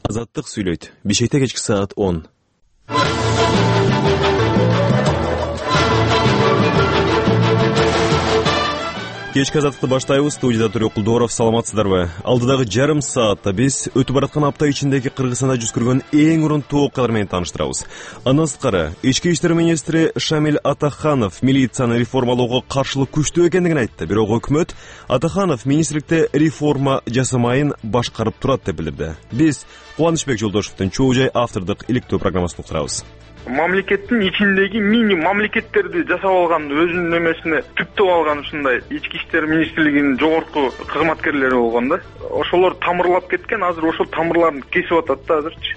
Азаттык сүйлөйт. Бишкекте кечки саат 10. Кечки азаттыкты баштайбыз. Студияда Төрөк Кулдоров. Саламатсыздарбы? Алдыдагы жарым саатта биз өтүп бараткан апта ичиндеги Кыргызстанда жүз көргөн эң урундуу окуялар менен тааныштырабыз. Андан сырткары, Ички иштер министри Шамиль Атаханов милицияны реформалоого каршылык күчтүү экендигин айтты. Бирок өкмөт Атаханов министрликте реформа жасамайын башкарып турат деп билдирди. Биз Кубанычбек Жолдошевдун чоо жай автордук иликтөө программасын уктурабыз. Мамлекеттин ичиндеги мини мамлекеттерди жасап алган, өзүнүн эмесине түптөп алган ушундай ички иштер министрлигинин жогорку кызматкерлери болгон да. Ошолор тамырлап кеткен, азыр ошол тамырларын кесип атат да азырчы.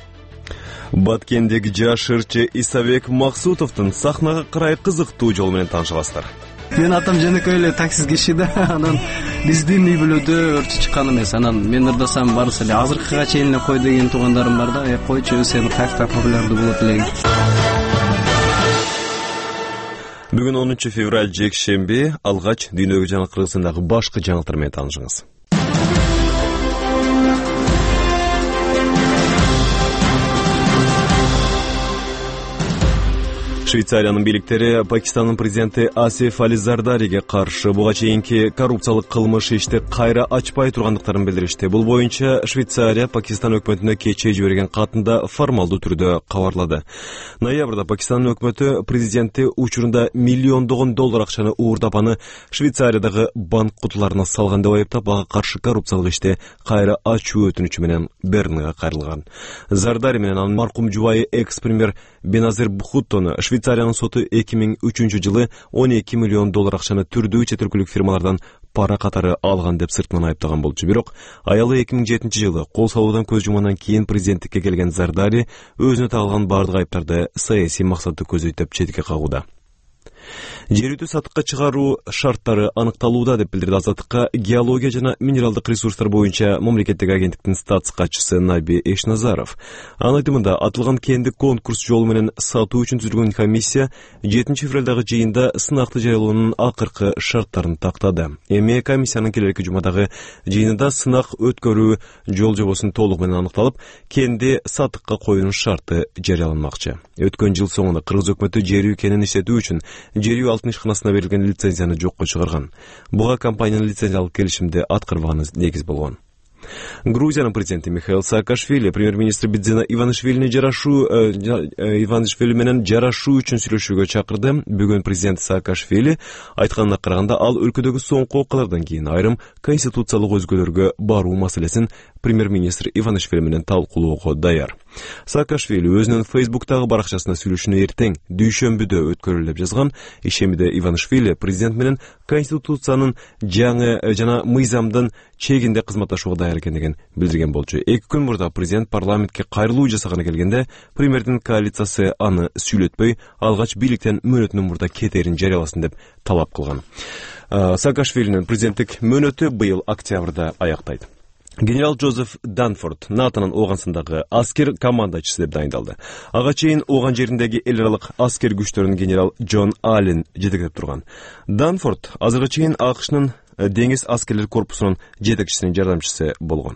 Баткендеги жаш ырчы Исабек Максутовдун сахнага карай кызыктуу жол менен таанышасыздар. Мен атам жөнөкөй эле таксист киши да, анан биздин үй бүлөдө ырчы чыккан эмес. Анан мен ырдасам барысы эле азыркыга чейин эле кой деген туугандарым бар да, койчу сен каякта популярдуу болот элең. Бүгүн 10 февраль жекшемби, алгач дүйнөгө жана Кыргызстандагы башкы жаңылыктар менен таанышыңыз. Швейцариянын бийликтери Пакистандын президенти Асиф Али Зардариге каршы буга чейинки коррупциялык кылмыш ишти кайра ачпай тургандыктарын билдиришти. Бул боюнча Швейцария Пакистан өкмөтүнө кечээ жиберген катында формалдуу түрдө кабарлады. Ноябрда Пакистандын өкмөтү президенти учурунда миллиондогон доллар акчаны уурдап аны Швейцариядагы банк кутуларына салган деп айыптап, ага каршы коррупциялык ишти кайра ачуу өтүнүчү менен Бернге кайрылган. Зардари менен анын маркум жубайы экс-премьер Беназир Бхуттону Швейцариянын соту 2003 жылы 12 миллион доллар акчаны түрдүү чет өлкөлүк фирмалардан пара катары алган деп сыртынан айыптаган болчу. Бирок аялы 2007 жылы кол салуудан көз жумгандан кийин президенттикке келген Зардари өзүнө тагылган бардык айыптарды саясий максатты көзөйт деп четке кагууда. Жер үтү сатыкка чыгаруу шарттары аныкталууда деп билдирди Азаттыкка геология жана минералдык ресурстар боюнча мамлекеттик агенттиктин статс катчысы Наби Эшназаров. Анын айтымында атылган кенди конкурс жолу менен сатуу үчүн түзүлгөн комиссия 7 февралдагы жыйында сынакты жарыялоонун акыркы шарттарын тактады. Эми комиссиянын келерки жумадагы жыйынында сынак өткөрүү жол жобосун толук менен аныкталып, кенди сатыкка коюунун шарты жарыяланмакчы. Өткөн жыл соңунда Кыргыз өкмөтү жер үй кенин иштетүү үчүн жер үй алтын ишканасына берилген лицензияны жокко чыгарган. Буга компаниянын лицензиялык келишимди аткарбаганы негиз болгон. Грузиянын президенти Михаил Саакашвили премьер-министр Бидзина Иванишвили менен жарашуу үчүн сүйлөшүүгө чакырды. Бүгүн президент Саакашвили айтканына караганда, ал өлкөдөгү соңку окуялардан кийин айрым конституциялык өзгөрүүлөргө баруу маселесин премьер-министр Иванишвили менен талкуулоого даяр. Саакашвили өзүнүн Фейсбуктагы баракчасына сүйлөшүүнү эртең дүйшөмбүдө өткөрөлү деп жазган. Ишемиде Иванишвили президент менен конституциянын жаңы жана мыйзамдын чегинде кызматташууга даяр экендигин билдирген болчу. 2 күн мурда президент парламентке кайрылуу жасаганы келгенде, премьердин коалициясы аны сүйлөтпөй, алгач бийликтен мөөнөтүнөн мурда кетерин жарыяласын деп талап кылган. Саакашвилинин президенттик мөөнөтү быйыл октябрда аяктайт. Генерал Джозеф Данфорд НАТОнун Ооганстандагы аскер командачысы деп дайындалды. Ага чейин Ооган жериндеги эл аралык аскер күчтөрүнүн генерал Джон Аллен жетектеп турган. Данфорд азыркыга чейин АКШнын деңиз аскерлер корпусунун жетекчисинин жардамчысы болгон.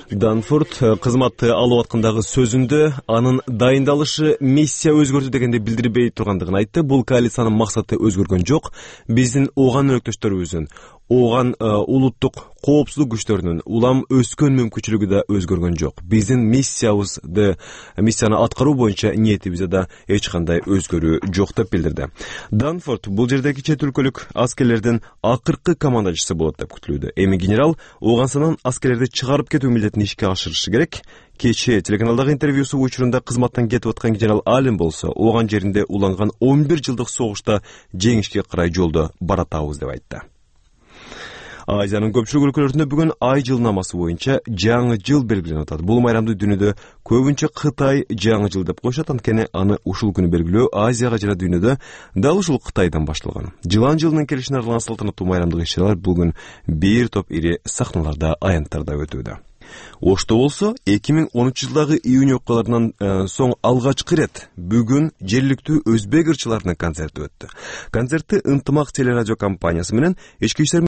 Данфорд кызматты алып аткандагы сөзүндө анын дайындалышы миссия өзгөрдү дегенде билдирбей тургандыгын айтты. Бул коалициянын максаты өзгөргөн жок. Биздин Ооган өнөктөштөрүбүздүн, Ооган улуттук коопсуздук күчтөрүнүн улам өскөн мүмкүнчүлүгү да өзгөргөн жок. Биздин миссияны аткаруу боюнча ниетибизде да эч кандай өзгөрүү жок деп билдирди. Данфорд бул жердеги чет өлкөлүк аскерлердин акыркы командачысы болот деп күтүлүүдө. Эми генерал Ооганстандан аскерлерди чыгарып кетүү милдетин ишке ашырышы керек. Кечээ телеканалдагы интервьюсу учурунда кызматтан кетип аткан генерал Аллен болсо, Ооган жеринде уланган 11 жылдык согушта жеңишке карай жолдо баратабыз деп айтты. Азиянын көпчүлүк өлкөлөрүндө бүгүн ай жылнамасы боюнча жаңы жыл белгиленип атат. Бул майрамды дүйнөдө көбүнчө Кытай жаңы жыл деп коюшат, анткени аны ушул күнү белгилөө Азияга жана дүйнөдө дал ушул Кытайдан башталган. Жылан жылынын келишине арналган салтанаттуу майрамдык иш-чаралар бүгүн бир топ ири сахналарда, аянттарда өтүүдө. Ошто болсо 2013 жылдагы июнь окуяларынан соң алгачкы ирет бүгүн жергиликтүү өзбек ырчыларынын концерти өттү. Концертти Ынтымак телерадио компаниясы менен Ички иштер